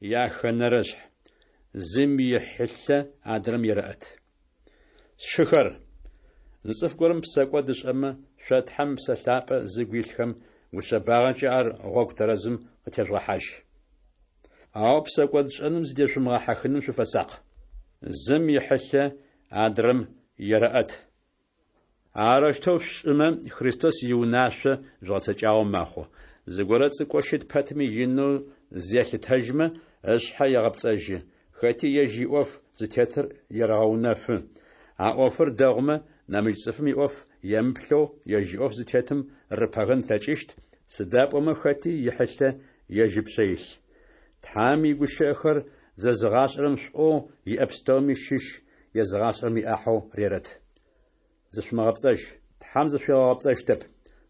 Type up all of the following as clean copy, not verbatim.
Яхэнэрэшъхь. Зым ихьылъэ адрэм ерэӏэт. Сшыхэр, зы цӏыф горэм псэкӏод ышӏэмэ, шъо Тхьэм Ыпсэ Лъапӏэ зыгу илъхэм гушъэбагъэкӏэ ар гъогу тэрэзым къытежъугъэхьажь. Ау псэкӏодшӏэным зыдешъумыгъэхьыхыным шъуфэсакъ. Зым ихьылъэ адрэм ерэӏэт. Арэущтэу шъушӏымэ, Христос иунашъо жъугъэцэкӏагъэу мэхъу. Зыгорэ цӏыкӏоу щыт пэтми инэу зелъытэжьмэ, ышъхьэ егъэпцӏэжьы. Хэти ежь иӏоф зытетыр ерэгъэунэфы. А ӏофыр дэгъумэ, нэмыкӏ цӏыфым иӏоф емыплъэу ежь иӏоф зытетым рыпэгэн ылъэкӏыщт, сыда пӏомэ хэти ихьылъэ ежь ыпшъэ илъ. Тхьэм игущыӏэхэр зэзыгъашӏэрэм шӏоу иӏэ пстэуми щыщ езыгъашӏэрэм иӏахьэу рерэт. Зышъумыгъэпцӏэжь, Тхьэм зышъуигъэгъэпцӏэщтэп.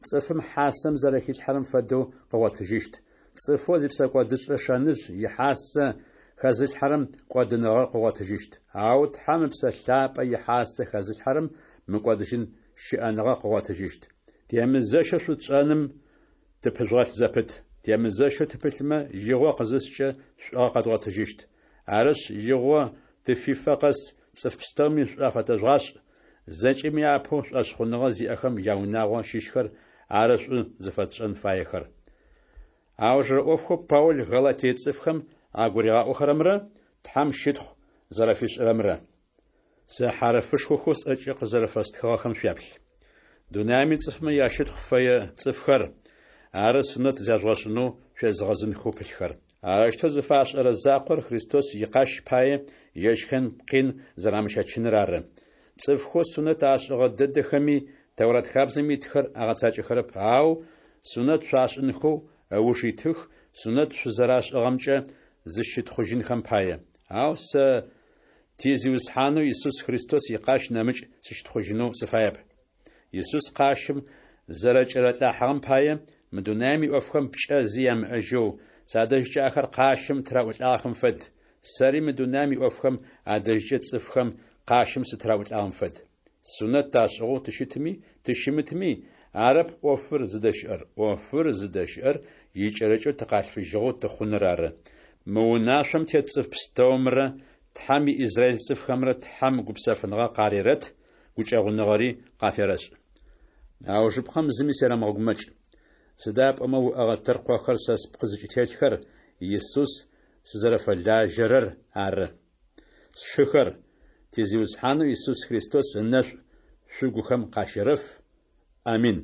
Цӏыфым хьасэм зэрэхилъхьэрэм фэдэу къыгъотыжьыщт. Цӏыфэу зипсэкӏодышӏэ шэныжъ ихьасэ хэзылъхьэрэм кӏодыныгъэр къыгъотыжьыщт. Ау Тхьэм Ыпсэ Лъапӏэ ихьасэ хэзылъхьэрэм мыкӏодыжьын щыӏэныгъэ къыгъотыжьыщт. Темызэщэу шӏу тшӏэным тыпыжъугъэлъ зэпыт. Темызэщэу тыпылъмэ, игъо къызыскӏэ шӏугъэ къэдгъотыжьыщт. Арышъ, игъо тыфифэ къэс цӏыф пстэуми шӏу афэтэжъугъашӏ, зэкӏэми апэу шӏошъхъуныгъэ зиӏэхэм яунагъо щыщхэр ары шӏу зыфэтшӏэн фаехэр. Аужырэ ӏофхэу Паул Галатие цӏыфхэм агуригъаӏохэрэмрэ Тхьэм щытхъу зэрэфишӏырэмрэ. Сэ хьарыфышхохэу сӏэкӏэ къызэрэфэстхыгъэхэм шъуяплъ. Дунаим ицӏыфмэ ящытхъу фэе цӏыфхэр ары сунэт зяжъугъэшӏынэу шъуезыгъэзынхэу пылъхэр. Арэущтэу зыфашӏэрэ закъор Христос икъащ пае ежьхэм къин зэрамыщэчыныр ары. Цӏыфхэу сунэт ашӏыгъэ дэдэхэми Тэурат хабзэм итхэр агъэцакӏэхэрэп, ау сунэт шъуашӏынхэу ыуж итых, сунэт шъузэрашӏыгъэмкӏэ зыщытхъужьынхэм пае. Ау сэ ти Зиусхьанэу Исус Христос икъащ нэмыкӏ сыщытхъужьынэу сыфаеп. Исус къащым зэрэкӏэралӏыхьагъэм пае, мы дунаим иӏофхэм пкӏэ зи ямыӏэжьэу, садэжькӏэ ахэр къащым тыраӏулӏагъэхэм фэд, сэри мы дунаим иӏофхэм адэжькӏэ цӏыфхэм къащым сытыраӏулӏагъэм фэд. Сунэт ташӏыгъэу тыщытми тыщымытми, арэп ӏофыр зыдэщыӏэр, ӏофыр зыдэщыӏэр икӏэрыкӏэу тыкъалъфыжьыгъэу тыхъуныр ары. Мы унашъом тет цӏыф пстэумрэ Тхьэм иизраил цӏыфхэмрэ Тхьэм гупсэфыныгъэ къарерэт, гукӏэгъуныгъэри къаферэшӏ. Аужыпкъэм зыми серэмыгъэгумэкӏ. Сыда пӏомэ уӏэгъэ тыркъохэр сэ спкъы зыкӏытелъхэр Исус сызэрэфэлажьэрэр ары. Сшыхэр, ти Зиусхьанэу Исус Христос ынэшӏу шъугухэм къащерэф. Амин.